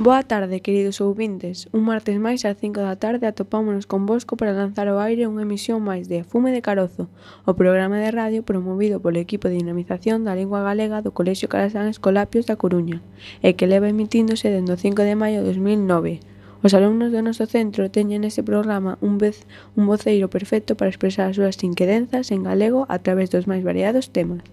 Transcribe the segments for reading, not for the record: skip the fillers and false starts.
Boa tarde, queridos ouvintes. Un martes máis ás 5 da tarde atopámonos convosco para lanzar ao aire unha emisión máis de Fume de Carozo, o programa de radio promovido polo equipo de dinamización da lingua galega do Colexio Carasán Escolapios da Coruña e que leva emitíndose dende o 5 de maio de 2009. Os alumnos do noso centro teñen neste programa un voceiro perfecto para expresar as súas inquedanzas en galego a través dos máis variados temas.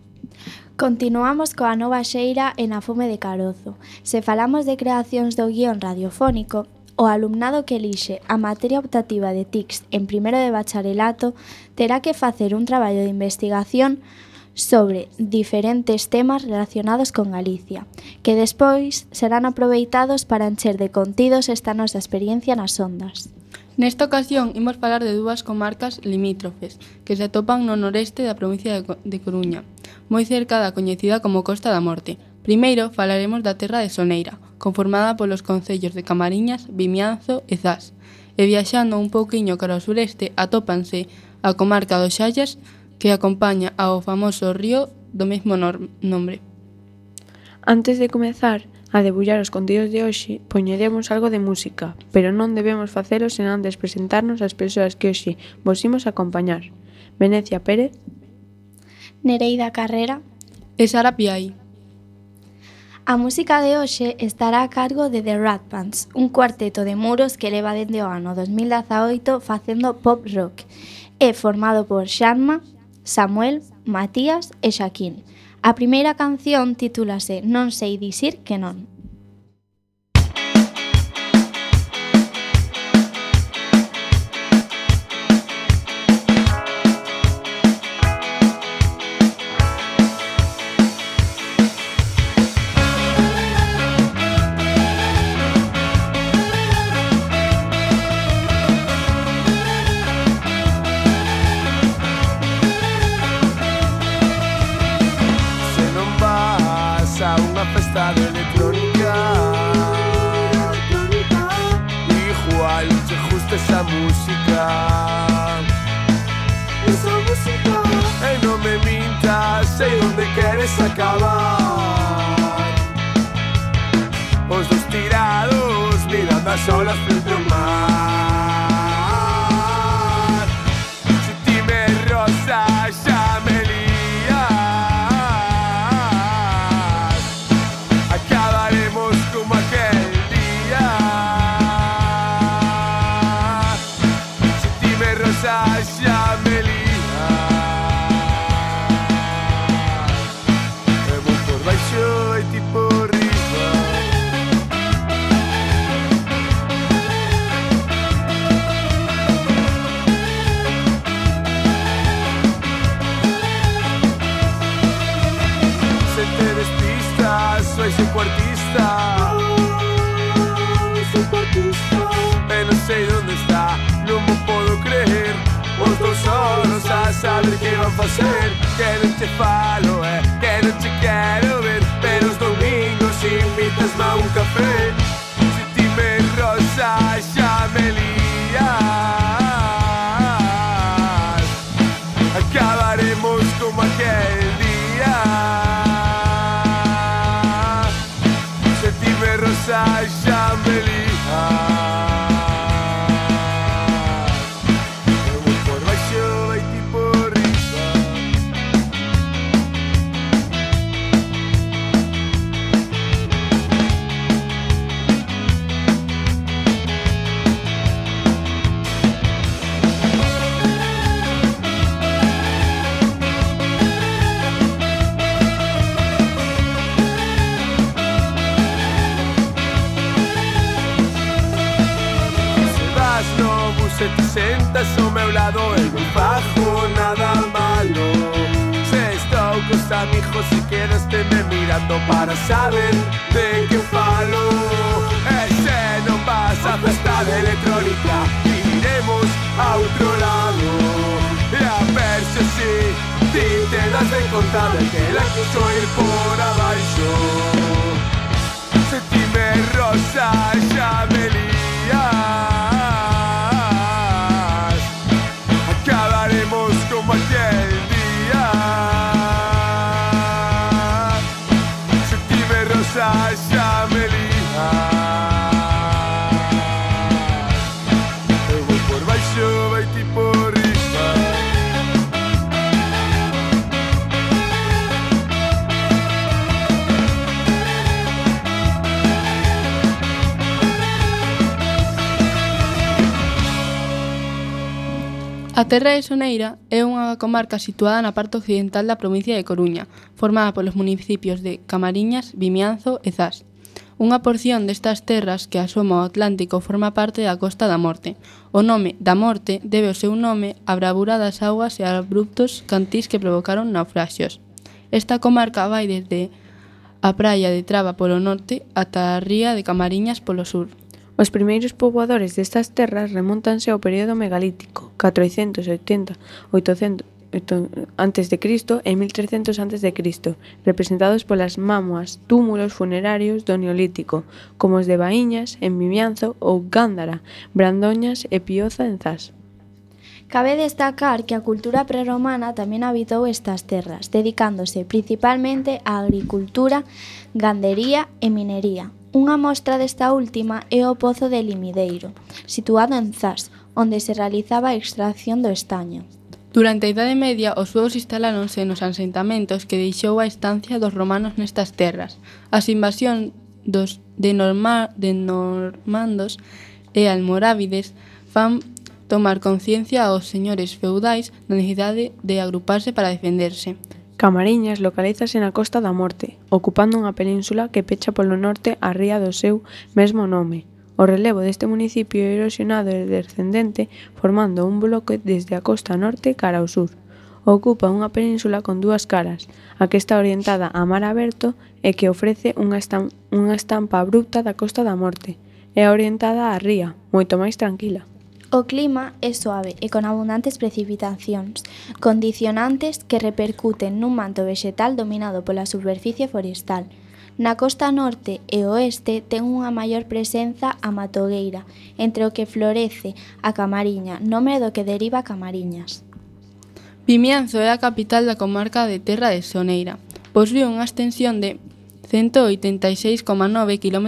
Continuamos coa nova xeira en A Fume de Carozo. Se falamos de creacións do guión radiofónico, o alumnado que elixe a materia optativa de TICS en primeiro de bacharelato terá que facer un traballo de investigación sobre diferentes temas relacionados con Galicia, que despois serán aproveitados para encher de contidos esta nosa experiencia nas ondas. Nesta ocasión, imos falar de dúas comarcas limítrofes que se atopan no noreste da provincia de Coruña, moi cerca da coñecida como Costa da Morte. Primeiro, falaremos da terra de Soneira, conformada polos concellos de Camariñas, Vimianzo e Zas. E viaxando un pouquiño cara ao sureste, atópanse a comarca dos Xallas, que acompaña ao famoso río do mesmo nombre. Antes de comezar a debullar os contidos de hoxe, poñeremos algo de música, pero non debemos facelo sen antes presentarnos ás persoas que hoxe vos imos acompañar. Venecia Pérez, Nereida Carrera e Sara Piai. A música de hoxe estará a cargo de The Rat Bands, un cuarteto de muros que leva dende o ano 2018 facendo pop rock. É formado por Xanma, Samuel, Matías e Xaquín. A primeira canción titúlase Non sei dicir que non. Festa de electrónica igual te gusta esa música no me mintas, sei onde queres acabar os dos tirados mirando as olas frente ao mar se ti me rozas xa me saber que van facer que non te falo, que non te quero ver pero os domingos invitasme a un café se ti me rozas xa me lías acabaremos como aquel día se ti me rozas xa me lías se te sentas ao meu lado e non fago nada malo se estou cos amigos e quedaste-me mirando para saber de que falo e se non vas a festa de electrónica iremos a outro lado e a ver se si ti te das de conta de que la quiso ir por abaixo se ti me rozas xa me lías como aquel día se ti me rozas xa me lías A Terra de Soneira é unha comarca situada na parte occidental da provincia de Coruña, formada polos municipios de Camariñas, Vimianzo e Zas. Unha porción destas terras que asoma ao Atlántico forma parte da Costa da Morte. O nome da Morte debe o seu nome á bravura das augas e abruptos cantís que provocaron naufraxios. Esta comarca vai desde a praia de Traba polo norte ata a ría de Camariñas polo sur. Os primeiros poboadores destas terras remóntanse ao período megalítico, 480-800 a.C. e 1300 a.C., representados polas mámoas túmulos funerarios do Neolítico, como os de Baíñas, en Vimianzo, ou Gándara, Brandoñas e Pioza, en Zas. Cabe destacar que a cultura prerromana tamén habitou estas terras, dedicándose principalmente á agricultura, gandería e minería. Unha mostra desta última é o Pozo de Limideiro, situado en Zas, onde se realizaba a extracción do estaño. Durante a Idade Media, os suevos instaláronse nos asentamentos que deixou a estancia dos romanos nestas terras. As invasións de normandos e almorávides fan tomar conciencia aos señores feudais da necesidade de agruparse para defenderse. Camariñas localízase na Costa da Morte, ocupando unha península que pecha polo norte a ría do seu mesmo nome. O relevo deste municipio é erosionado e descendente, formando un bloque desde a costa norte cara ao sur. Ocupa unha península con dúas caras, a que está orientada a mar aberto e que ofrece unha estampa abrupta da Costa da Morte, e orientada á ría, moito máis tranquila. O clima é suave e con abundantes precipitacións, condicionantes que repercuten nun manto vexetal dominado pola superficie forestal. Na costa norte e oeste ten unha maior presenza a matogueira, entre o que florece a camariña, nome do que deriva Camariñas. Vimianzo é a capital da comarca de Terra de Soneira. Posúe unha extensión de 186,9 km²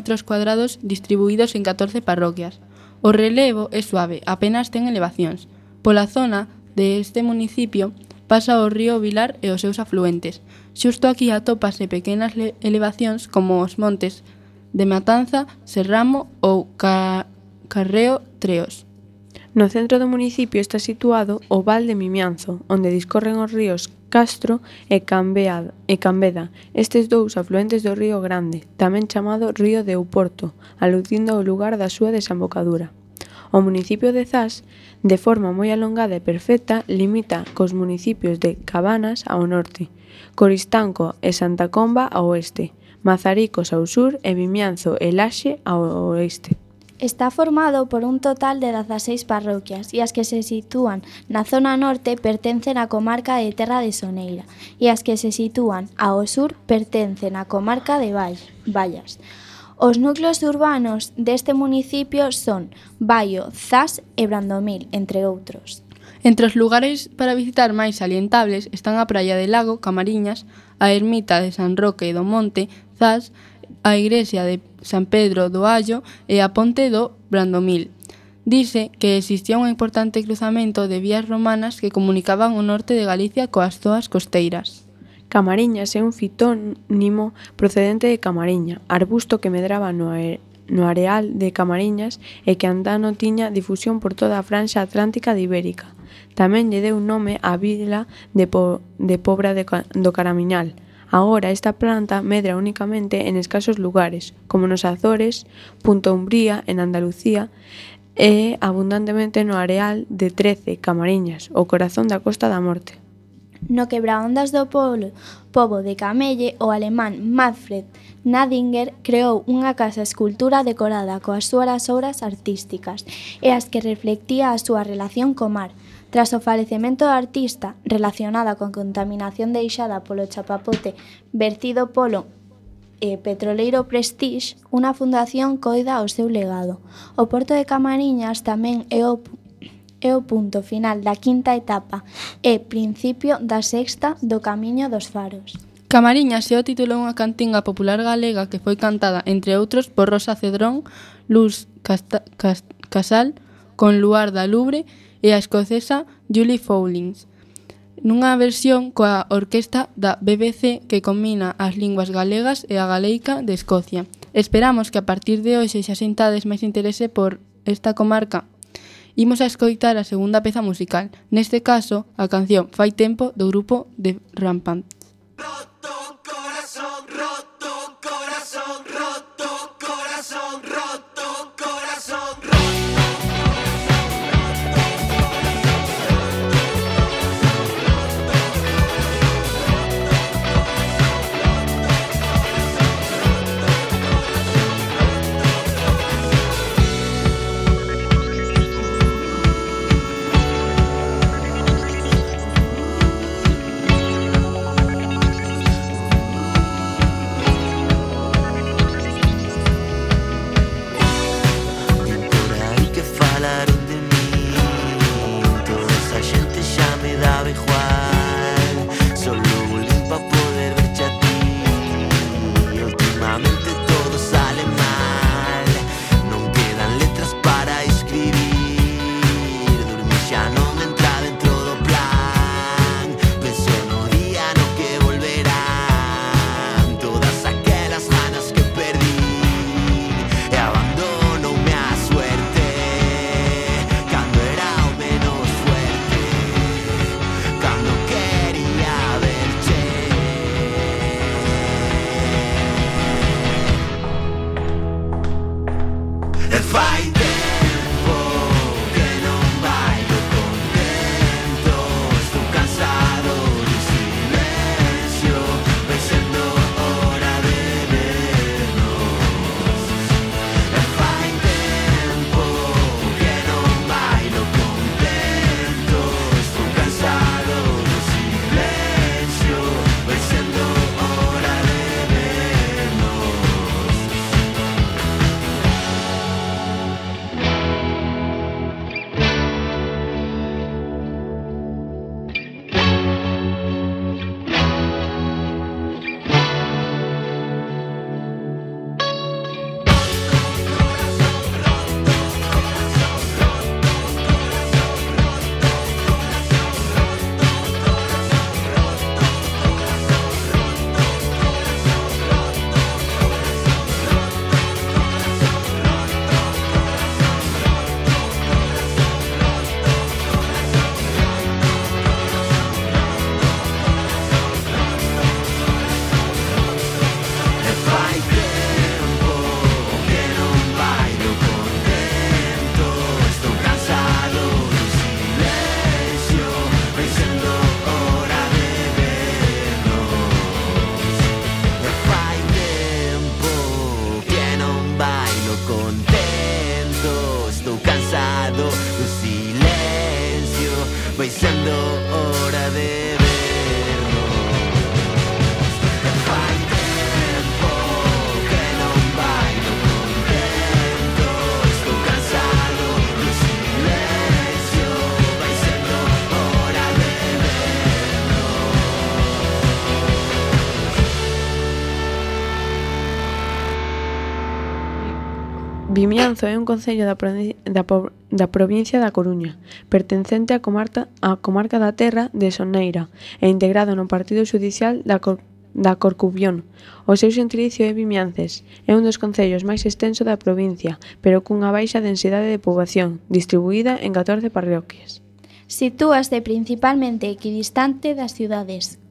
distribuídos en 14 parroquias. O relevo é suave, apenas ten elevacións. Pola zona deste municipio pasa o río Vilar e os seus afluentes. Xusto aquí atópase pequenas elevacións como os montes de Matanza, Serramo ou Carreo Treos. No centro do municipio está situado o Val de Vimianzo, onde discorren os ríos Castro e Cambeda, estes dous afluentes do río Grande, tamén chamado Río de Ouporto, aludindo ao lugar da súa desembocadura. O municipio de Zas, de forma moi alongada e perfecta, limita cos municipios de Cabanas ao norte, Coristanco e Santa Comba ao oeste, Mazaricos ao sur e Vimianzo e Laxe ao oeste. Está formado por un total de 16 parroquias e as que se sitúan na zona norte pertencen á comarca de Terra de Soneira e as que se sitúan ao sur pertencen á comarca de Vallas. Os núcleos urbanos deste municipio son Baio, Zas e Brandomil, entre outros. Entre os lugares para visitar máis salientables están a Praia de Lago, Camariñas, a Ermita de San Roque do Monte, Zas, a igrexa de San Pedro do Allo e a ponte do Brandomil. Dice que existía un importante cruzamento de vías romanas que comunicaban o norte de Galicia coas zoas costeiras. Camariñas é un fitónimo procedente de Camariña, arbusto que medraba no areal de Camariñas e que andano tiña difusión por toda a franxa atlántica de Ibérica. Tamén lle deu nome á vila de Pobra do Caramiñal. Agora esta planta medra únicamente en escasos lugares, como nos Azores, Punta Umbría, en Andalucía, e abundantemente no areal de 13, Camariñas, o corazón da Costa da Morte. No quebraondas do pobo de Camelle, o alemán Manfred Nadinger creou unha casa escultura decorada coas súas obras artísticas e as que reflectía a súa relación co mar. Tras o falecemento do artista, relacionada con contaminación deixada polo chapapote vertido polo petroleiro Prestige, unha fundación coida o seu legado. O porto de Camariñas tamén é o punto final da quinta etapa e principio da sexta do Camiño dos Faros. Camariñas é o título dunha cantinga popular galega que foi cantada, entre outros, por Rosa Cedrón, Luz Casal, con Luarda Lubre e a escocesa Julie Fowlings, nunha versión coa orquesta da BBC que combina as linguas galegas e a galeica de Escocia. Esperamos que a partir de hoxe xa sintades máis interese por esta comarca imos a escoitar a segunda peza musical, neste caso, a canción Fai Tempo do grupo The Rampant. Roto corazón, roto corazón, roto corazón, roto corazón, roto. vai sendo hora de vernos. Fai tempo que non bailo contento, estou cansado do silencio, vai sendo hora de vernos. Vimianzo é un concello da provincia da Coruña, pertencente á comarca da Terra de Soneira e integrado no partido xudicial da Corcubión. O seu xentilicio é Vimiances. É un dos concellos máis extenso da provincia, pero cunha baixa densidade de poboación, distribuída en 14 parroquias. Sitúase principalmente equidistante das cidades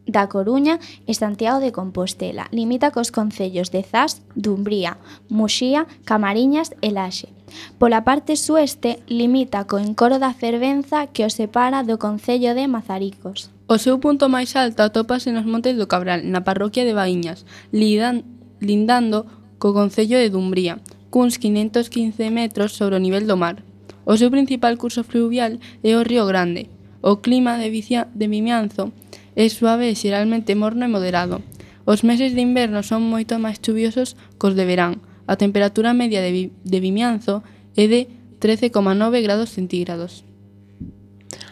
da Coruña e Santiago de Compostela. Limita cos concellos de Zas, Dumbría, Muxía, Camariñas e Laxe. Pola parte sueste, limita co encoro da Fervenza que o separa do concello de Mazaricos. O seu punto máis alto atópase nos Montes do Cabral, na parroquia de Baíñas, lindando co concello de Dumbría, cuns 515 metros sobre o nivel do mar. O seu principal curso fluvial é o Río Grande. O clima de Vimianzo é suave e xeralmente morno e moderado. Os meses de inverno son moito máis chuviosos cos de verán. A temperatura media de Vimianzo é de 13,9 grados centígrados.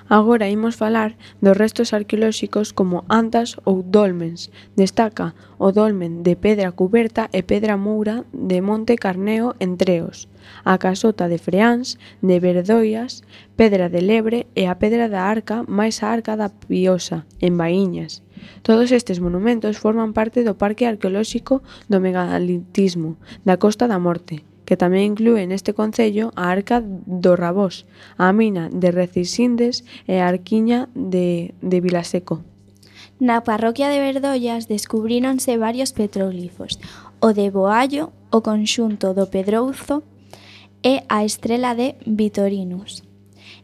Agora imos falar dos restos arqueolóxicos como antas ou dolmens. Destaca o dolmen de pedra cuberta e pedra moura de Monte Carneo en Treos, a casota de Freáns, de Verdoias, pedra de Lebre e a pedra da Arca máis a Arca da Piosa, en Baíñas. Todos estes monumentos forman parte do Parque Arqueolóxico do Megalitismo da Costa da Morte, que tamén inclúe neste concello a Arca do Rabós, a mina de Recisindes e a Arquiña de Vilaseco. Na parroquia de Verdollas descubríronse varios petróglifos, o de Boallo, o conxunto do Pedrouzo e a estrela de Vitorinus.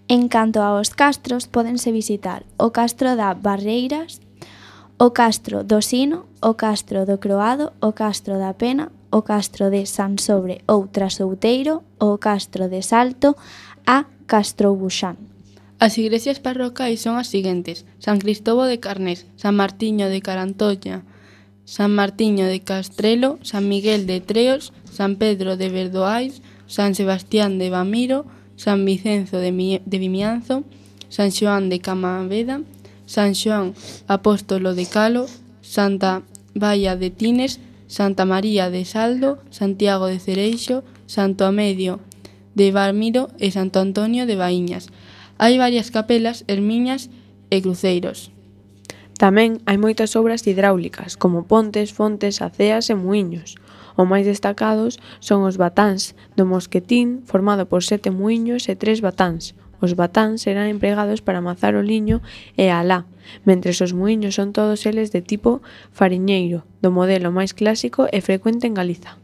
En canto aos castros, pódense visitar o castro da Barreiras, o castro do Sino, o castro do Croado, o castro da Pena, o castro de Sansobre ou Trasouteiro, o castro de Salto, a Castroubuxán. As igrexas parrocais son as seguintes: San Cristovo de Carnés, San Martiño de Carantoña, San Martiño de Castrelo, San Miguel de Treos, San Pedro de Verdoais, San Sebastián de Bamiro, San Vicenzo de Vimianzo, San Xoán de Camaveda, San Xoán Apóstolo de Calo, Santa Baia de Tines, Santa María de Saldo, Santiago de Cereixo, Santo Amedio de Bamiro e Santo Antonio de Baíñas. Hai varias capelas, ermiñas e cruceiros. Tamén hai moitas obras hidráulicas, como pontes, fontes, aceas e muíños. Os máis destacados son os batáns do Mosquetín, formado por 7 muíños e 3 batáns. Os batáns serán empregados para amasar o liño e a alá, mentres os muíños son todos eles de tipo fariñeiro, do modelo máis clásico e frecuente en Galiza.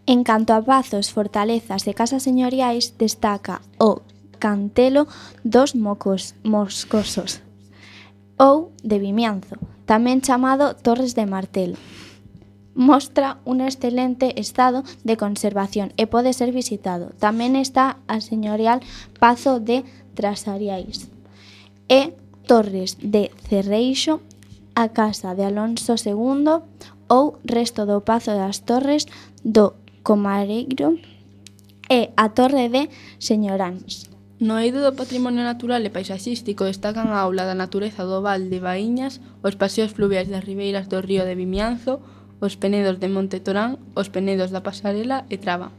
En canto a pazos, fortalezas e casas señoriais, destaca o Cantelo dos Moscosos ou de Vimianzo, tamén chamado Torres de Martelo. Mostra un excelente estado de conservación e pode ser visitado. Tamén está a señorial Pazo de Trasariais e Torres de Cerreixo, a casa de Alonso II ou resto do Pazo das Torres do Comareiro e a Torre de Señoráns. No eido do patrimonio natural e paisaxístico destacan a aula da natureza do Val de Baíñas, os paseos fluviais das ribeiras do río de Vimianzo, os penedos de Monte Torán, os penedos da Pasarela e Traba.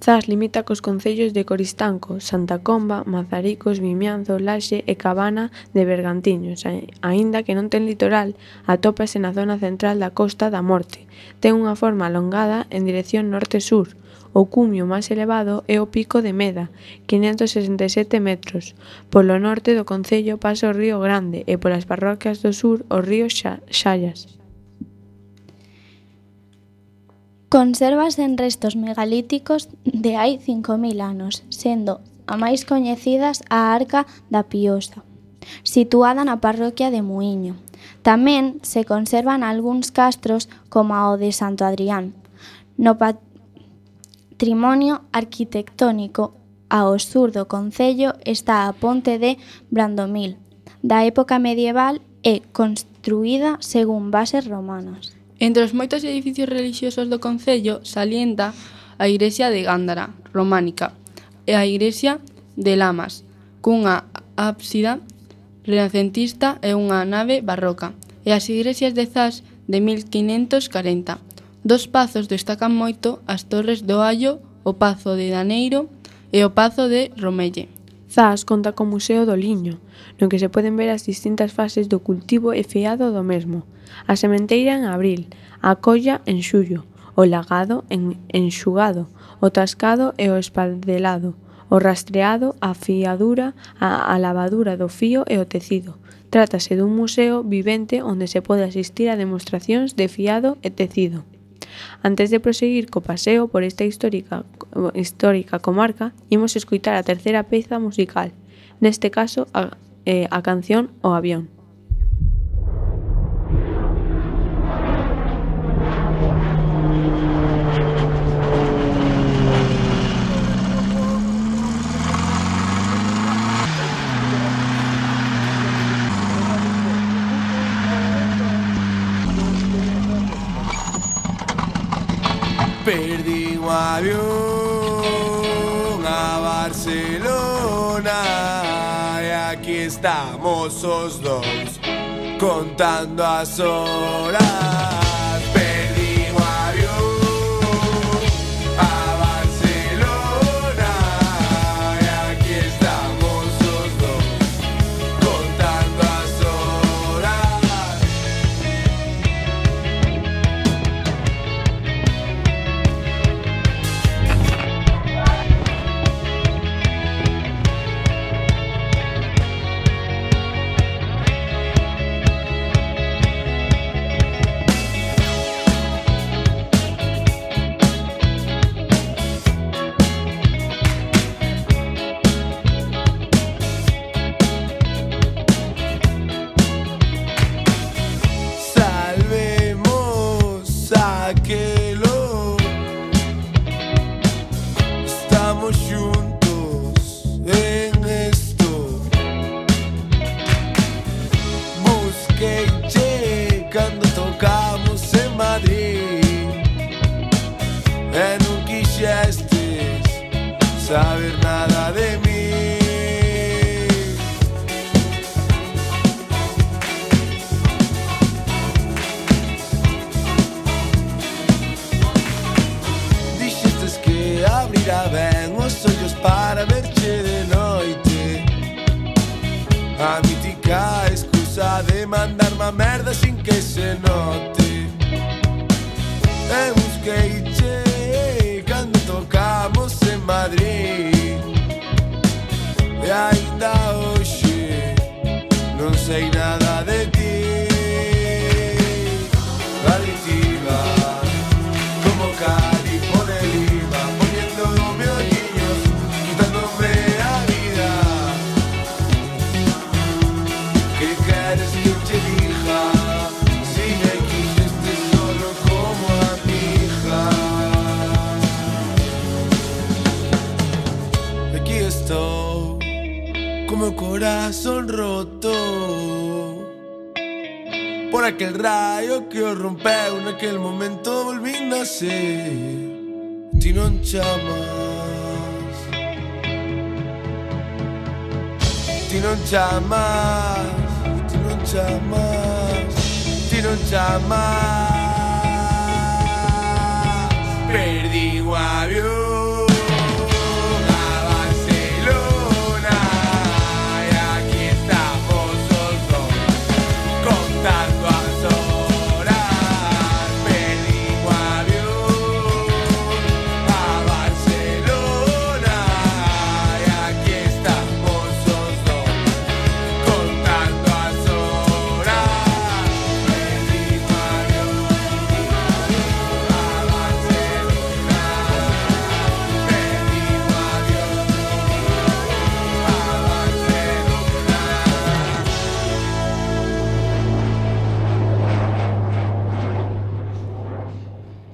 Zas limita cos concellos de Coristanco, Santa Comba, Mazaricos, Vimianzo, Laxe e Cabana de Bergantiños. Aínda que non ten litoral, atópase na zona central da Costa da Morte. Ten unha forma alongada en dirección norte-sur. O cumio máis elevado é o Pico de Meda, 567 metros. Polo norte do concello pasa o Río Grande e polas parroquias do sur o río Xallas. Consérvanse en restos megalíticos de hai 5.000 anos, sendo a máis coñecidas a Arca da Piosa, situada na parroquia de Muíño. Tamén se conservan algúns castros como o de Santo Adrián. No patrimonio arquitectónico ao sur do concello está a ponte de Brandomil, da época medieval e construída según bases romanas. Entre os moitos edificios relixiosos do concello salienta a igrexa de Gándara, románica, e a igrexa de Lamas, cunha ábsida renacentista e unha nave barroca, e as igrexas de Zas de 1540. Dos pazos destacan moito as torres do Allo, o Pazo de Daneiro e o Pazo de Romelle. Zas conta co Museo do Liño, no que se poden ver as distintas fases do cultivo e fiado do mesmo. A sementeira en abril, a colla en xullo, o lagado en enxugado, o tascado e o espaldelado, o rastreado, a fiadura, a lavadura do fío e o tecido. Trátase dun museo vivente onde se pode asistir a demostracións de fiado e tecido. Antes de proseguir co paseo por esta histórica comarca, imos escoitar a terceira peza musical, neste caso a canción O Avión. Perdí un avión a Barcelona y aquí estamos os dos contando as horas. Perdí un avión a Barcelona y aquí estamos os dos contando as horas. A mítica excusa de mandarme a merda sin que se note. E busqueiche cando tocamos en Madrid. E aínda hoxe non sei nada de ti. Adictiva como calipo de lima, poniéndome hoyillos, quitándome a vida. ¿Qué quieres que te diga? Si me quisiste solo como a mi hija. Aquí estoy, como el corazón roto por aquel rayo que os rompeu naquel momento volvín a ser. Ti non chamas, ti non chamas, ti non chamas, ti non chamas. Perdí o avión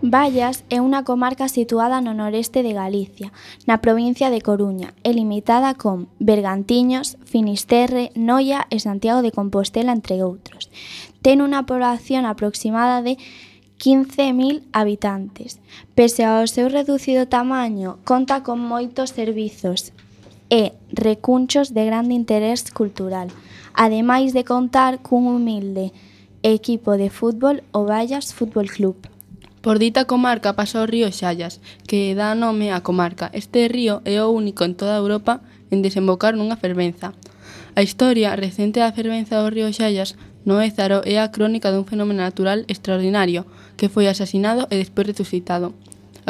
Vallas é unha comarca situada no noreste de Galicia, na provincia de Coruña, e limitada con Bergantiños, Finisterre, Noia e Santiago de Compostela, entre outros. Ten unha población aproximada de 15.000 habitantes. Pese ao seu reducido tamaño, conta con moitos servizos e recunchos de grande interés cultural, ademais de contar cun humilde equipo de fútbol, o Vallas Fútbol Club. Por dita comarca pasa o río Xallas, que dá nome á comarca. Este río é o único en toda Europa en desembocar nunha fervenza. A historia recente da fervenza do río Xallas no Ézaro é a crónica dun fenómeno natural extraordinario que foi asasinado e despois resucitado.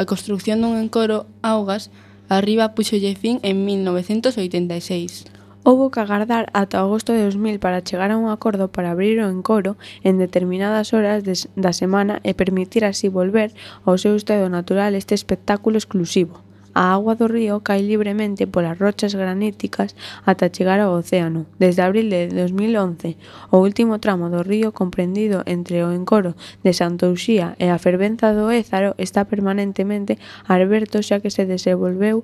A construcción dun encoro augas arriba puxolle fin en 1986. Houbo que agardar ata agosto de 2000 para chegar a un acordo para abrir o encoro en determinadas horas da semana e permitir así volver ao seu estado natural este espectáculo exclusivo. A auga do río cae libremente polas rochas graníticas ata chegar ao océano. Desde abril de 2011, o último tramo do río comprendido entre o encoro de Santa Uxía e a fervenza do Ézaro está permanentemente aberto xa que se desenvolveu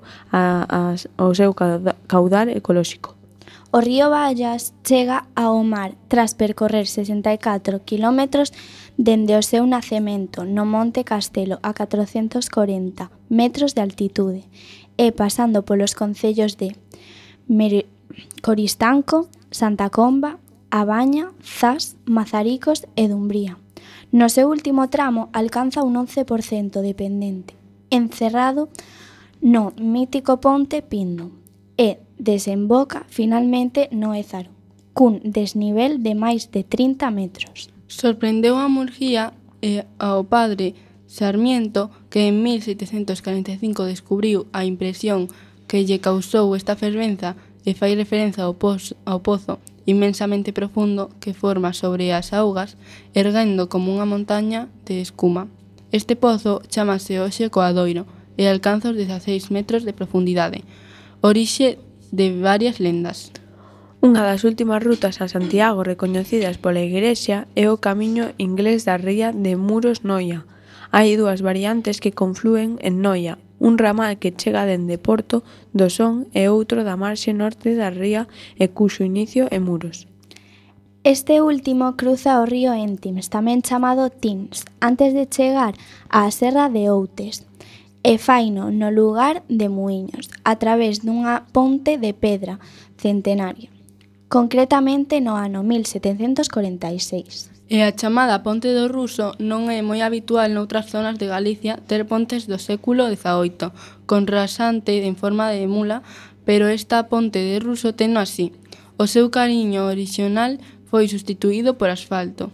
o seu caudal ecolóxico. O río Vallas chega ao mar tras percorrer 64 km dende o seu nacemento no Monte Castelo a 440 metros de altitude e pasando polos concellos de Coristanco, Santa Comba, A Baña, Zas, Mazaricos e Dumbría. No seu último tramo alcanza un 11% de pendente, encerrado no mítico Ponte Pindo, e desemboca finalmente no Ézaro, cun desnivel de máis de 30 metros. Sorprendeu a Murguía e ao padre Sarmiento, que en 1745 descubriu a impresión que lle causou esta fervenza e fai referencia ao pozo inmensamente profundo que forma sobre as augas, erguendo como unha montaña de escuma. Este pozo chamase hoxe Coadoiro e alcanza os 16 metros de profundidade, orixe de varias lendas. Unha das últimas rutas a Santiago recoñecidas pola Igrexa é o camiño inglés da ría de Muros-Noia. Hai dúas variantes que conflúen en Noia, un ramal que chega dende Porto do Son e outro da marxe norte da ría e cuxo inicio é Muros. Este último cruza o río Entims, tamén chamado Tins, antes de chegar á serra de Outes, e faino no lugar de Muiños, a través dunha ponte de pedra centenaria, concretamente no ano 1746. E a chamada Ponte do Ruso non é moi habitual noutras zonas de Galicia ter pontes do século XVIII, con rasante en forma de mula, pero esta ponte de Ruso teno así. O seu cariño orixinal foi substituído por asfalto.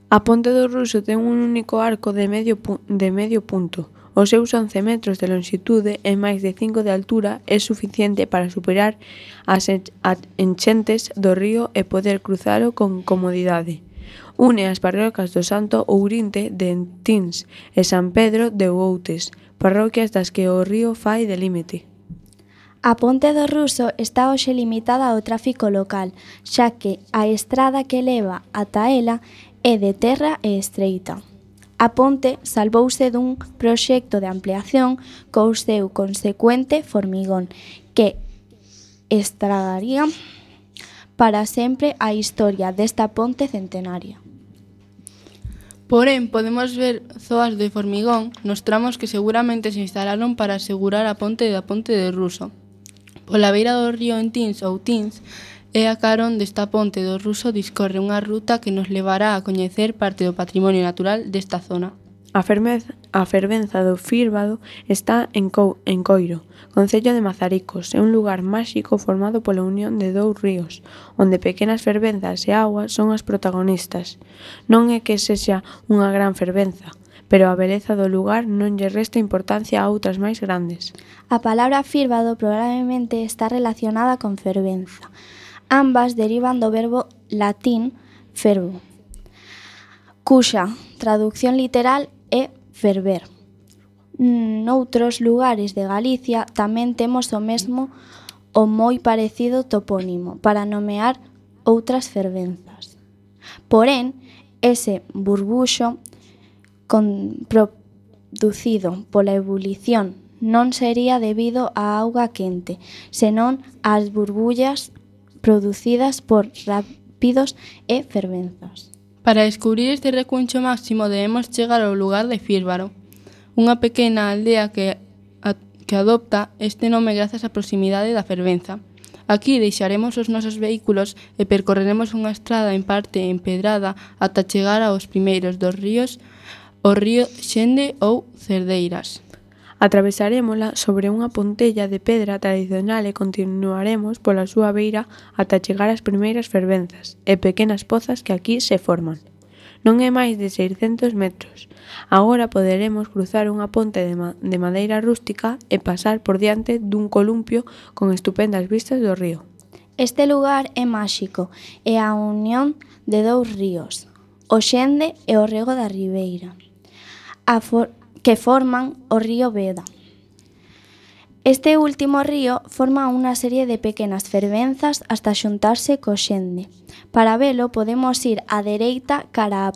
A Ponte do Ruso ten un único arco de medio punto. Os seus 11 metros de longitude e máis de 5 de altura é suficiente para superar as enchentes do río e poder cruzalo con comodidade. Une as parroquias do Santo Ourinte de Entins e San Pedro de Outes, parroquias das que o río fai de límite. A Ponte do Ruso está hoxe limitada ao tráfico local, xa que a estrada que leva ata ela é de terra e estreita. A ponte salvouse dun proxecto de ampliación co seu consecuente formigón, que estragaría para sempre a historia desta ponte centenaria. Porén, podemos ver zoas de formigón nos tramos que seguramente se instalaron para asegurar a ponte da Ponte do Ruso. Pola beira do río Entins ou Tins, e a carón desta Ponte do Ruso discorre unha ruta que nos levará a coñecer parte do patrimonio natural desta zona. A fervenza do Fírbado está en Coiro, concello de Mazaricos. É un lugar máxico formado pola unión de dous ríos, onde pequenas fervenzas e augas son as protagonistas. Non é que sexa unha gran fervenza, pero a beleza do lugar non lle resta importancia a outras máis grandes. A palabra fírbado probablemente está relacionada con fervenza. Ambas derivan do verbo latín fervo, cuxa traducción literal é ferver. Noutros lugares de Galicia tamén temos o mesmo ou moi parecido topónimo para nomear outras fervenzas. Porén, ese burbuxo producido pola ebulición non sería debido á auga quente, senón ás burbullas producidas por rápidos e fervenzas. Para descubrir este recuncho máximo debemos chegar ao lugar de Fírbaro, unha pequena aldea que adopta este nome grazas á proximidade da fervenza. Aquí deixaremos os nosos vehículos e percorreremos unha estrada en parte empedrada ata chegar aos primeiros dos ríos, o río Xende ou Cerdeiras. Atravesarémola sobre unha pontella de pedra tradicional e continuaremos pola súa beira ata chegar ás primeiras fervenzas e pequenas pozas que aquí se forman. Non é máis de 600 metros. Agora poderemos cruzar unha ponte de madeira rústica e pasar por diante dun columpio con estupendas vistas do río. Este lugar é máxico e a unión de dous ríos, o Xende e o Rego da Ribeira, que forman o río Veda. Este último río forma unha serie de pequenas fervenzas hasta xuntarse co Xende. Para velo podemos ir á dereita cara á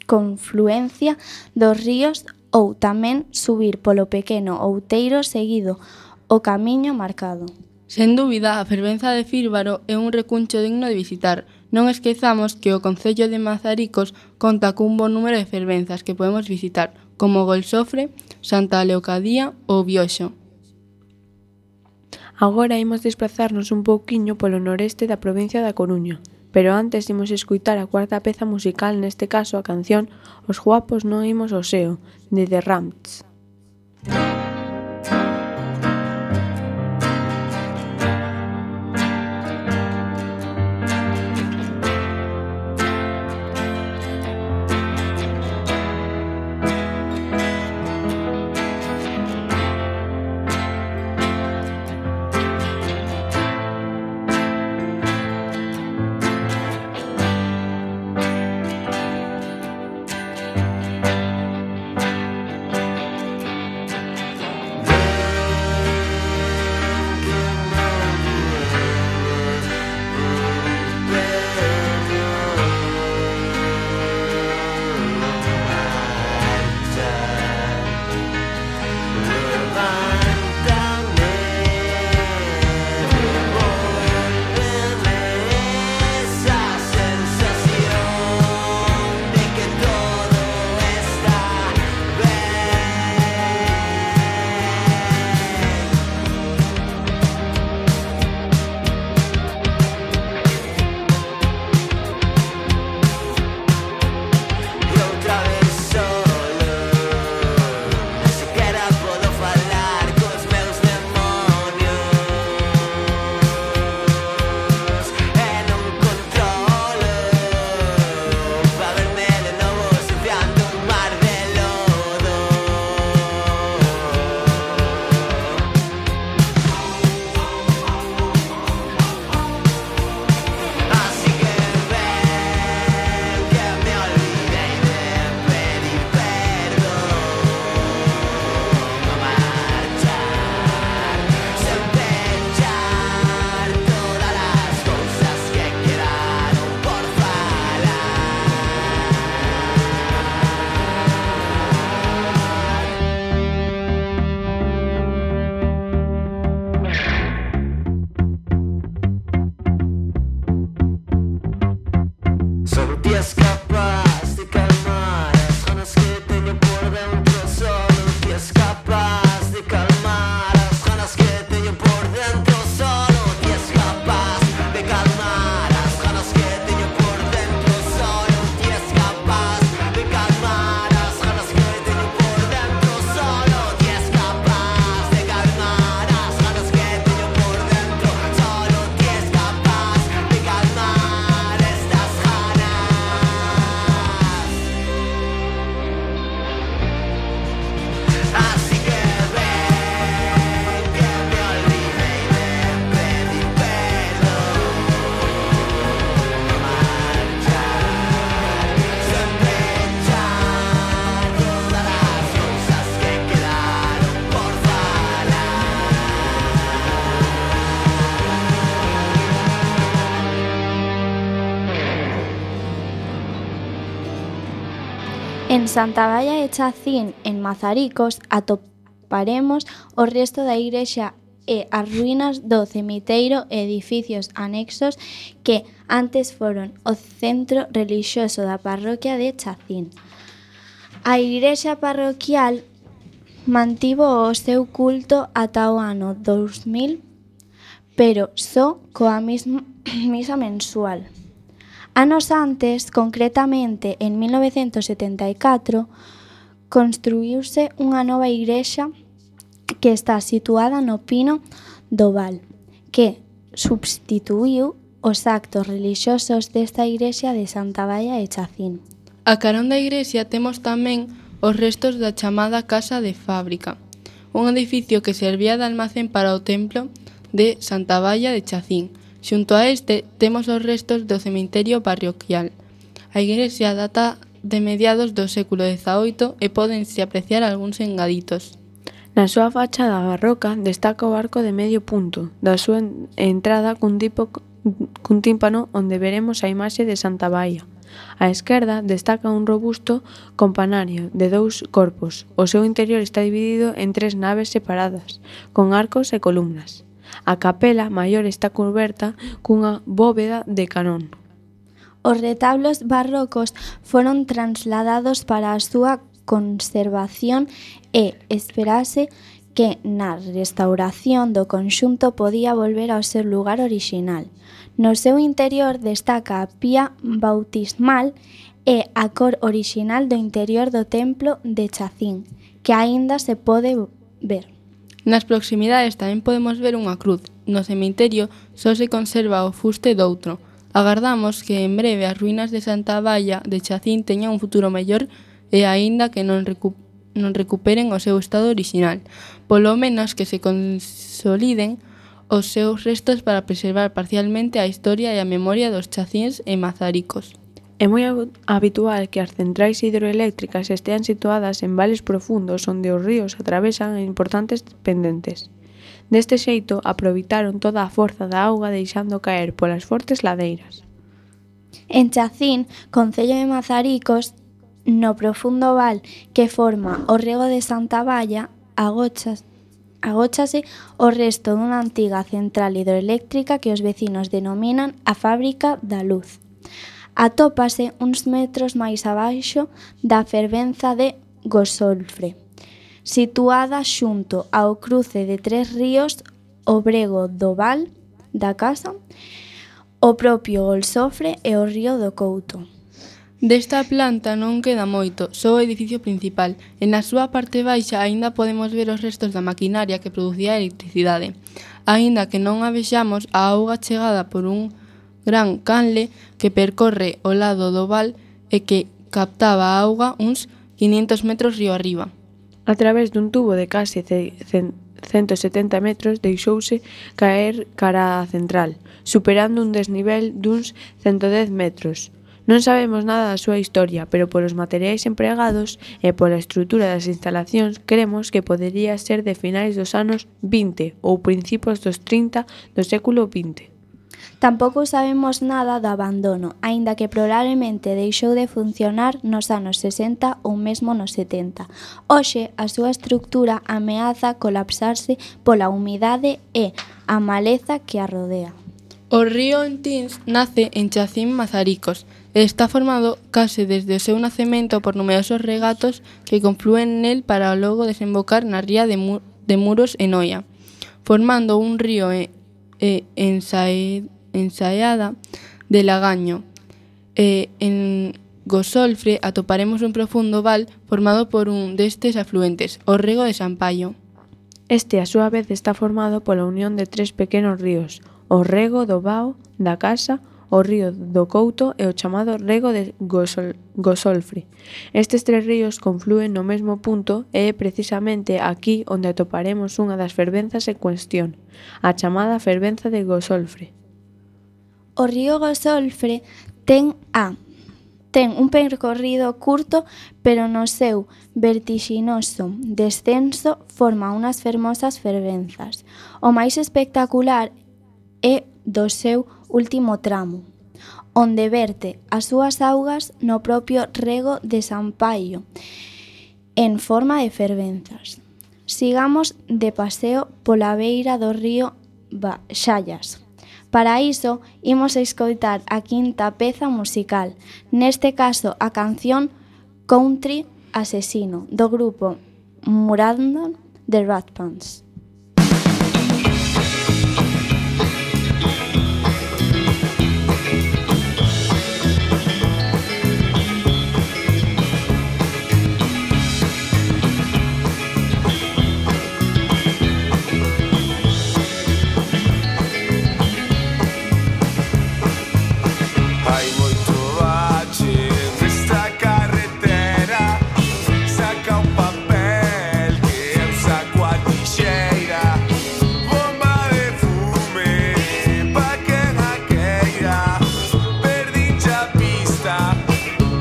confluencia dos ríos ou tamén subir polo pequeno outeiro seguido o camiño marcado. Sen dúbida, a fervenza de Fírbaro é un recuncho digno de visitar. Non esquezamos que o concello de Mazaricos conta cun bon número de fervenzas que podemos visitar, como Golsofre, Santa Leocadía ou Bioxo. Agora imos desplazarnos un pouquiño polo noreste da provincia da Coruña, pero antes imos escutar a cuarta peza musical, neste caso a canción Os guapos non imos ao seo, de The Ramps. En Santa Baia de Chacín, en Mazaricos, atoparemos o resto da igrexa e as ruínas do cemiteiro e edificios anexos que antes foron o centro relixioso da parroquia de Chacín. A igrexa parroquial mantivo o seu culto ata o ano 2000, pero só coa misa mensual. Anos antes, concretamente en 1974, construíuse unha nova igrexa que está situada no Pino do Val, que substituíu os actos relixiosos desta igrexa de Santa Baia de Chacín. A carón da igrexa temos tamén os restos da chamada Casa de Fábrica, un edificio que servía de almacén para o templo de Santa Baia de Chacín. Xunto a este temos os restos do cemiterio parroquial. A igrexa data de mediados do século XVIII e pódense apreciar algúns engaditos. Na súa fachada barroca destaca o arco de medio punto da súa entrada cun tímpano onde veremos a imaxe de Santa Baia. Á esquerda destaca un robusto campanario de 2 corpos. O seu interior está dividido en 3 naves separadas, con arcos e columnas. A capela maior está cuberta cunha bóveda de canón. Os retablos barrocos foron trasladados para a súa conservación e esperase que na restauración do conxunto podía volver ao seu lugar orixinal. No seu interior destaca a pía bautismal e a cor orixinal do interior do templo de Chacín, que aínda se pode ver. Nas proximidades tamén podemos ver unha cruz. No cemiterio só se conserva o fuste doutro. Agardamos que en breve as ruínas de Santa Baia de Chacín teñan un futuro mellor e aínda que non recuperen o seu estado orixinal, polo menos que se consoliden os seus restos para preservar parcialmente a historia e a memoria dos chacíns e mazaricos. É moi habitual que as centrais hidroeléctricas estean situadas en vales profundos onde os ríos atravesan importantes pendentes. Deste xeito, aproveitaron toda a forza da auga deixando caer polas fortes ladeiras. En Chacín, concello de Mazaricos, no profundo val que forma o rego de Santa Baia, agóchase o resto dunha antiga central hidroeléctrica que os vecinos denominan a Fábrica da Luz. Atópase uns metros máis abaixo da fervenza de Gosolfre, situada xunto ao cruce de 3 ríos, o Brego do Val da Casa, o propio Golsofre e o río do Couto. Desta planta non queda moito, só o edificio principal, e na súa parte baixa aínda podemos ver os restos da maquinaria que producía electricidade. Aínda que non a vexamos, a auga chegada por un gran canle que percorre o lado do val e que captaba a auga uns 500 metros río arriba. A través dun tubo de case 170 metros deixouse caer cara á central, superando un desnivel duns 110 metros. Non sabemos nada da súa historia, pero polos materiais empregados e pola estrutura das instalacións cremos que podería ser de finais dos anos 20 ou principios dos 30 do século XX. Tampouco sabemos nada do abandono, aínda que probablemente deixou de funcionar nos anos 60 ou mesmo nos 70. Hoxe, a súa estrutura ameaza colapsarse pola humidade e a maleza que a rodea. O río Entins nace en Chacín, Mazaricos, e está formado case desde o seu nacemento por numerosos regatos que conflúen nel para logo desembocar na ría de Muros e Noia, formando un río ensaeada de lagaño. En Gosolfre atoparemos un profundo val formado por un destes afluentes, o Rego de Sampaio. Este, a súa vez, está formado pola unión de 3 pequenos ríos, o Rego do Vao, da Casa, o río do Couto e o chamado Rego de Gosolfre. Estes 3 ríos conflúen no mesmo punto e é precisamente aquí onde atoparemos unha das fervenzas en cuestión, a chamada fervenza de Gosolfre. O río Gosolfre ten un percorrido curto, pero no seu vertixinoso descenso forma unhas fermosas fervenzas. O máis espectacular é do seu último tramo, onde verte as súas augas no propio rego de Sampaio, en forma de fervenzas. Sigamos de paseo pola beira do río Xallas. Para iso, imos escoitar a quinta peza musical, neste caso a canción Country Asesino, do grupo Murandon de Rat Pants. Hai moito bache nesta carretera. Saca un papel que é un saco a tixeira. Bomba de fume pa quen a queira. Perdinche a pista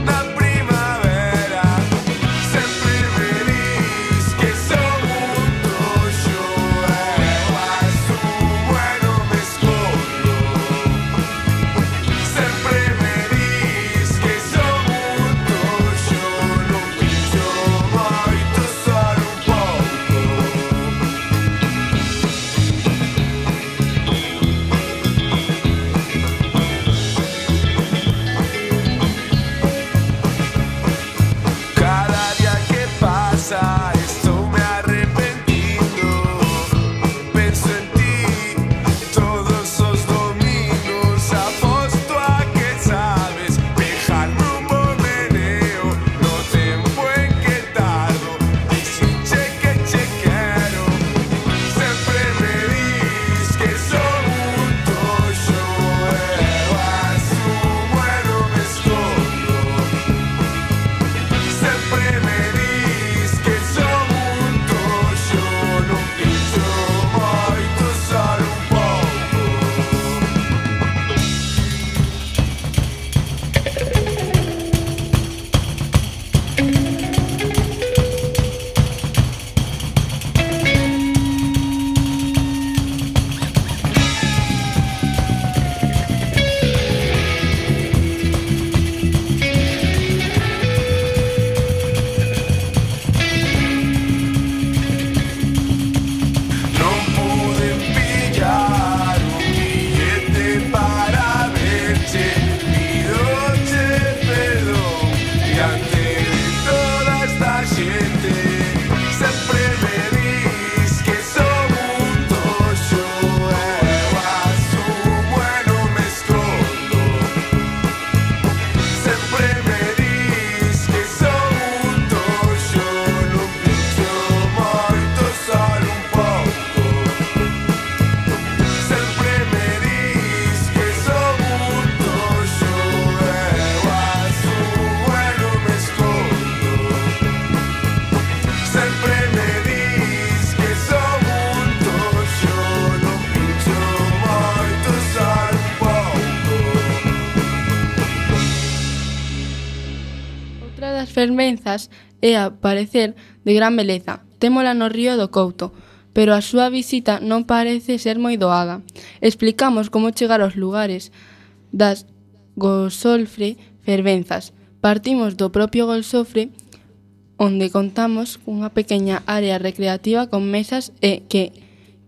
na primavera. Sempre me dis que son un toxo. Eu asumo e non me escondo. Sempre me dis que son un toxo. Non pincho moito, solo un pouco. Cada día que pasa estou me arrepentindo. Penso en ti todos os domingos. Aposto a que sabes dejarme un bo meneo. No tempo en que tardo, dixenche que che quero. Sempre me dis que son un toxo. Eu asumo e non me escondo. Sempre me dis que son un toxo. Non pincho moito, solo un pouco. Non pude pillar un billete para verte. Pidoche perdón diante de toda esta xente. Sempre me dis que son un toxo. Eu asumo e non me escondo. Sempre me dis que son un toxo. Non pincho moito, solo un pouco. Sempre me dis que son un toxo. Eu asumo e non me escondo. Sempre me dis que son un toxo. Non pincho moito, solo un pouco. Outra das fervenzas é a parecer de gran beleza. Témola no río do Couto, pero a súa visita non parece ser moi doada. Explicamos como chegar aos lugares das Gosolfre fervenzas. Partimos do propio Golsofre, onde contamos cunha pequena área recreativa con mesas e que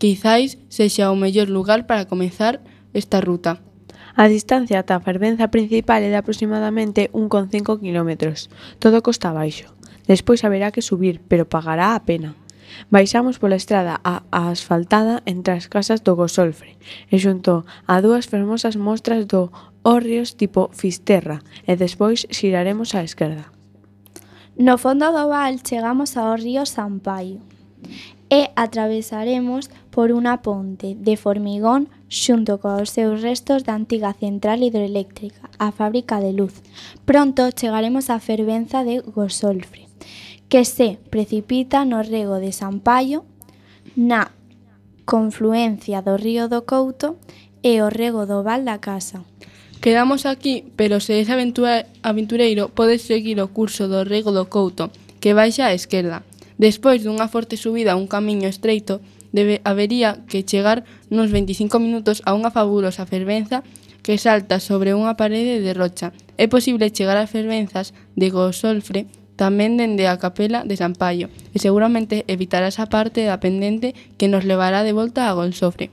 quizáis sexa o mellor lugar para comezar esta ruta. A distancia ata a fervenza principal é de aproximadamente 1,5 km. Todo costa abaixo. Despois haberá que subir, pero pagará a pena. Baixamos pola estrada a asfaltada entre as casas do Gosolfre e xunto a dúas fermosas mostras do hórreos tipo Fisterra e despois xiraremos á esquerda. No fondo do val chegamos ao río Sampaio e atravesaremos por unha ponte de formigón xunto cos seus restos da antiga central hidroeléctrica, a fábrica de luz. Pronto chegaremos á fervenza de Gosolfre, que se precipita no rego de Sampaio, na confluencia do río do Couto e o rego do val da Casa. Quedamos aquí, pero se és aventureiro, podes seguir o curso do rego do Couto, que baixa á esquerda. Despois dunha forte subida a un camiño estreito, habería que chegar nos 25 minutos a unha fabulosa fervenza que salta sobre unha parede de rocha. É posible chegar ás fervenzas de Gosolfre tamén dende a capela de San Paio, e seguramente evitarás a parte da pendente que nos levará de volta a Golsofre.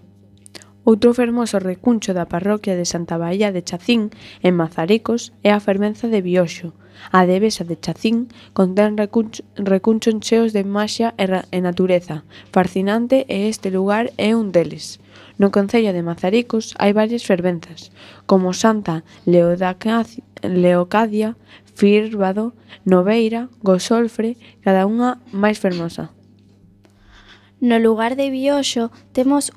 Outro fermoso recuncho da parroquia de Santa Baía de Chacín, en Mazaricos, é a fervenza de Bioxo. A devesa de Chacín contén recunchos cheos de maxia e natureza fascinante e este lugar é un deles. No concello de Mazaricos hai varias fervenzas, como Santa Leocadia, Fírbado, Noveira, Gosolfre, cada unha máis fermosa. No lugar de Bioxo temos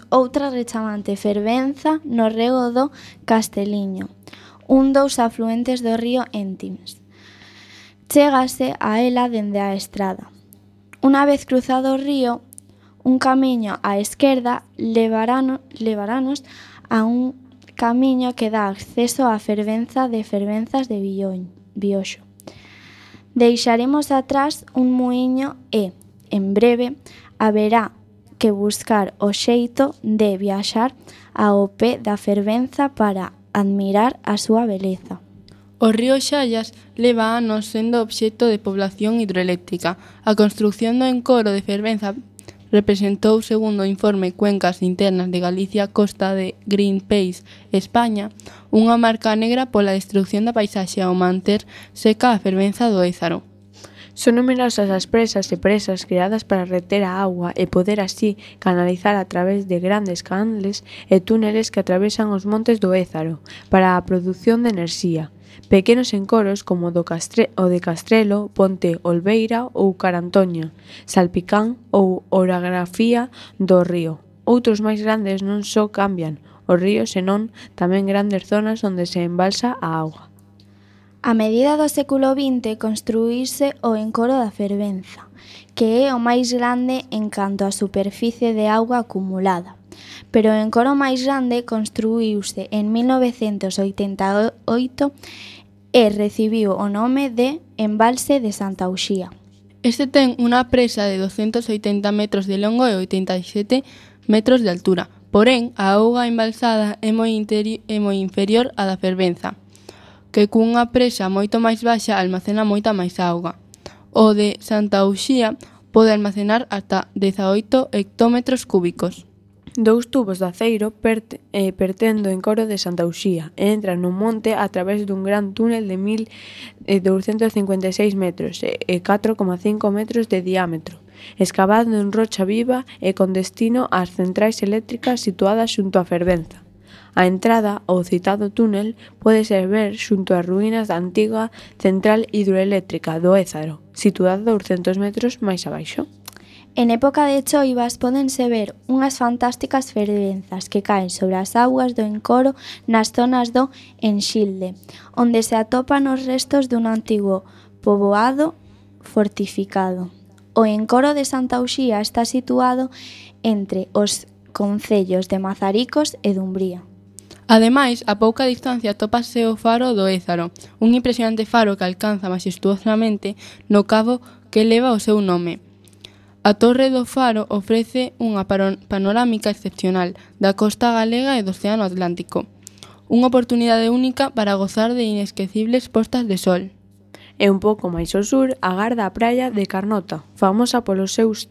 outra rechamante fervenza no rego do Casteliño, dos afluentes do río Éntimes. Chégase a ela dende a estrada. Unha vez cruzado o río, un camiño á esquerda levarános a un camiño que dá acceso á fervenza de fervenzas de Bioxo. Deixaremos atrás un muiño e, en breve, haberá que buscar o xeito de viaxar ao pé da fervenza para admirar a súa beleza. O río Xallas leva anos sendo obxecto de población hidroeléctrica. A construción do encoro de fervenza representou, segundo o informe Cuencas Internas de Galicia Costa de Greenpeace España, unha marca negra pola destrucción da paisaxe ao manter seca a fervenza do Ézaro. Son numerosas as presas e presas creadas para reter a auga e poder así canalizar a través de grandes canles e túneles que atravesan os montes do Ézaro para a produción de enerxía. Pequenos encoros como o de Castrelo, Ponte Olveira ou Carantoña, Salpicán ou Orografía do río. Outros máis grandes non só cambian o río, senón tamén grandes zonas onde se embalsa a auga. A medida do século XX construíse o encoro da fervenza, que é o máis grande en canto á superficie de auga acumulada. Pero o encoro máis grande construíuse en 1988 e recibiu o nome de Embalse de Santa Uxía. Este ten unha presa de 280 metros de longo e 87 metros de altura. Porén, a auga embalsada é moi inferior á da fervenza, que cunha presa moito máis baixa almacena moita máis auga. O de Santa Uxía pode almacenar ata 18 hectómetros cúbicos. Dous tubos de aceiro perten do encoro de Santa Uxía e entran no monte a través dun gran túnel de 1.256 metros e 4,5 metros de diámetro, escavado en rocha viva e con destino ás centrais eléctricas situadas xunto á fervenza. A entrada ao citado túnel pode ser ver xunto ás ruínas da antiga central hidroeléctrica do Ézaro, situada 200 metros máis abaixo. En época de choivas pódense ver unhas fantásticas fervenzas que caen sobre as augas do encoro nas zonas do Enxilde, onde se atopan os restos dun antigo poboado fortificado. O encoro de Santa Uxía está situado entre os concellos de Mazaricos e Dumbría. Ademais, a pouca distancia atópase o faro do Ézaro, un impresionante faro que alcanza majestuosamente no cabo que leva o seu nome. A torre do faro ofrece unha panorámica excepcional da costa galega e do Océano Atlántico, unha oportunidade única para gozar de inesquecibles postas de sol. E un pouco máis ao sur agarda a praia de Carnota, famosa polos seus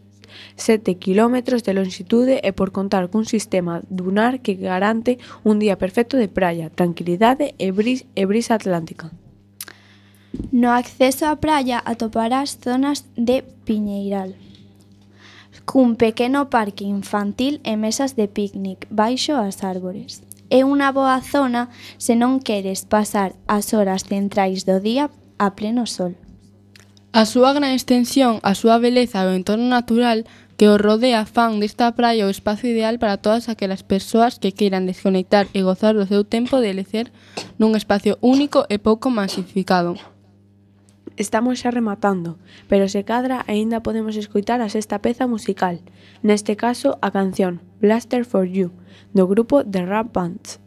7 km de longitude e por contar cun sistema dunar que garante un día perfecto de praia, tranquilidade e brisa atlántica. No acceso á praia atoparás zonas de piñeiral, cun pequeno parque infantil e mesas de picnic baixo as árbores. É unha boa zona se non queres pasar as horas centrais do día a pleno sol. A súa gran extensión, a súa beleza e o entorno natural que o rodea fan desta praia o espazo ideal para todas aquelas persoas que queiran desconectar e gozar do seu tempo de lecer nun espacio único e pouco masificado. Estamos xa rematando, pero se cadra aínda podemos escoitar a sexta peza musical, neste caso a canción Blaster for You, do grupo The Rap Bands.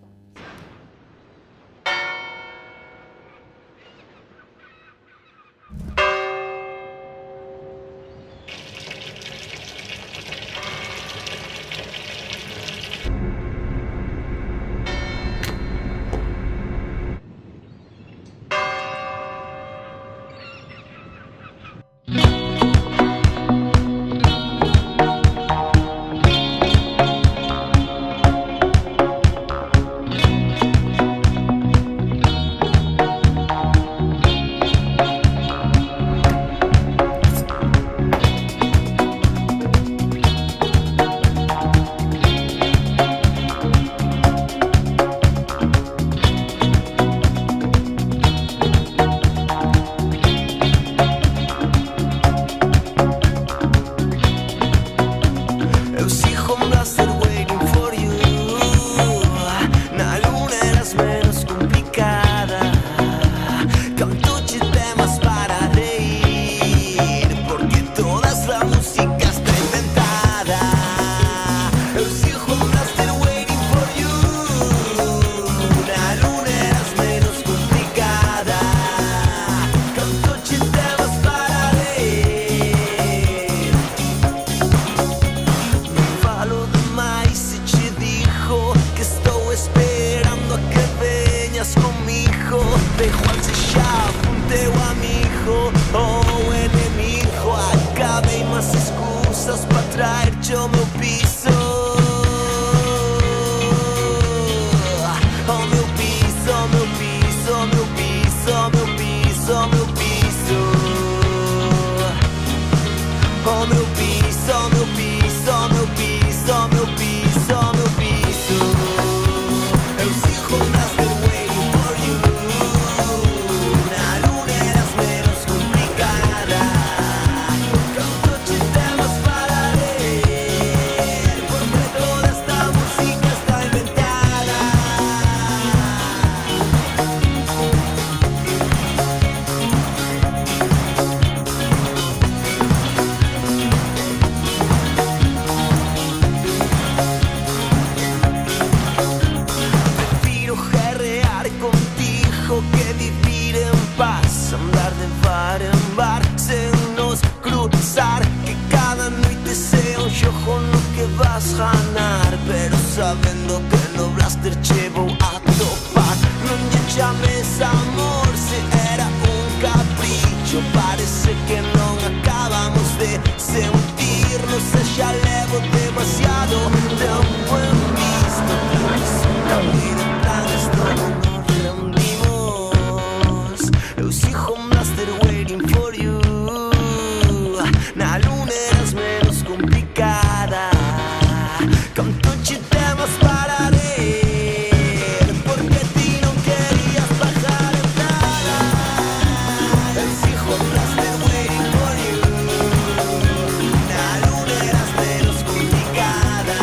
estás comigo, da igual se xa apunteu amigo ou enemigo. Acabei más excusas para traerche ao meu piso. Ao meu piso, ao meu piso, ao meu piso, ao meu piso, ao meu piso. Ao meu piso, ao meu piso, ao meu piso, ao meu piso, ao meu piso. Eu sigo nascer waiting for you. Na luna eras menos complicada. Canto te temas para ler, porque toda esta música está inventada. Prefiro guerrear contigo que vivir en paz, andar de bar en bar sen nos cruzar, que cada noite sea un xogo no que vas ganar, pero sabendo que no blaster che vou a topar. Non lle chames amor se era un capricho, parece que non acabamos de sentirnos e xa levo demasiado tempo en visto. La vida en plan esto non nos rendimos. Eu sigo master waiting for you. Na luna eras menos complicada. Canto che temas para ler, porque ti non querías bajar entrada. Eu sigo master waiting for you. Na luna eras menos complicada.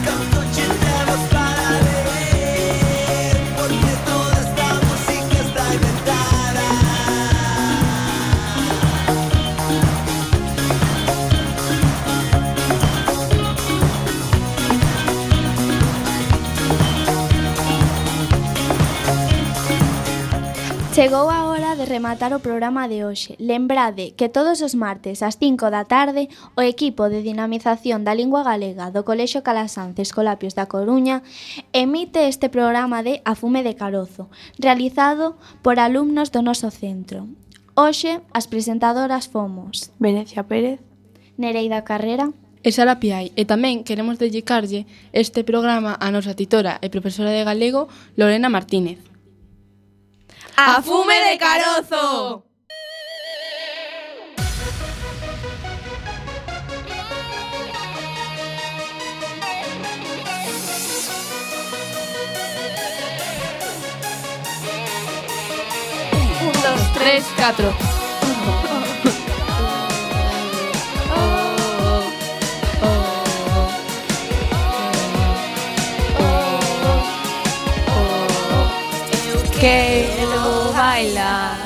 Canto che temas para ler, porque toda esta música está inventada. Chegou a hora de rematar o programa de hoxe. Lembrade que todos os martes ás 5 da tarde o equipo de dinamización da lingua galega do Colexio Calasanz Escolapios da Coruña emite este programa de A Fume de Carozo, realizado por alumnos do noso centro. Hoxe as presentadoras fomos Venecia Pérez, Nereida Carrera, E Sara Piai, e tamén queremos dedicarlle este programa a nosa titora e profesora de galego Lorena Martínez. A Fume de Carozo! Un, dos, tres, catro. Quero bailar,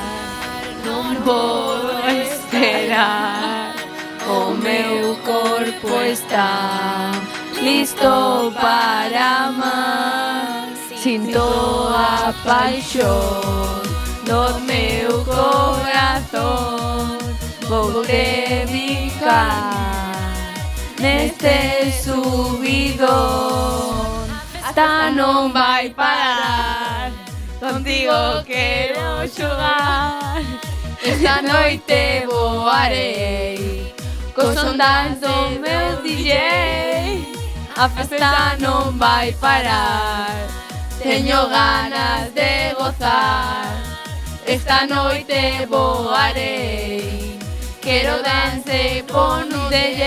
non podo esperar. O meu corpo está listo para amar. Sinto a paixón do meu corazón. Vou dedicar neste subidón. Hasta non vai parar. Contigo quero xogar. Esta noite voarei cos ondas do meu DJ. A festa non vai parar. Teño ganas de gozar. Esta noite voarei. Quero dance con un DJ.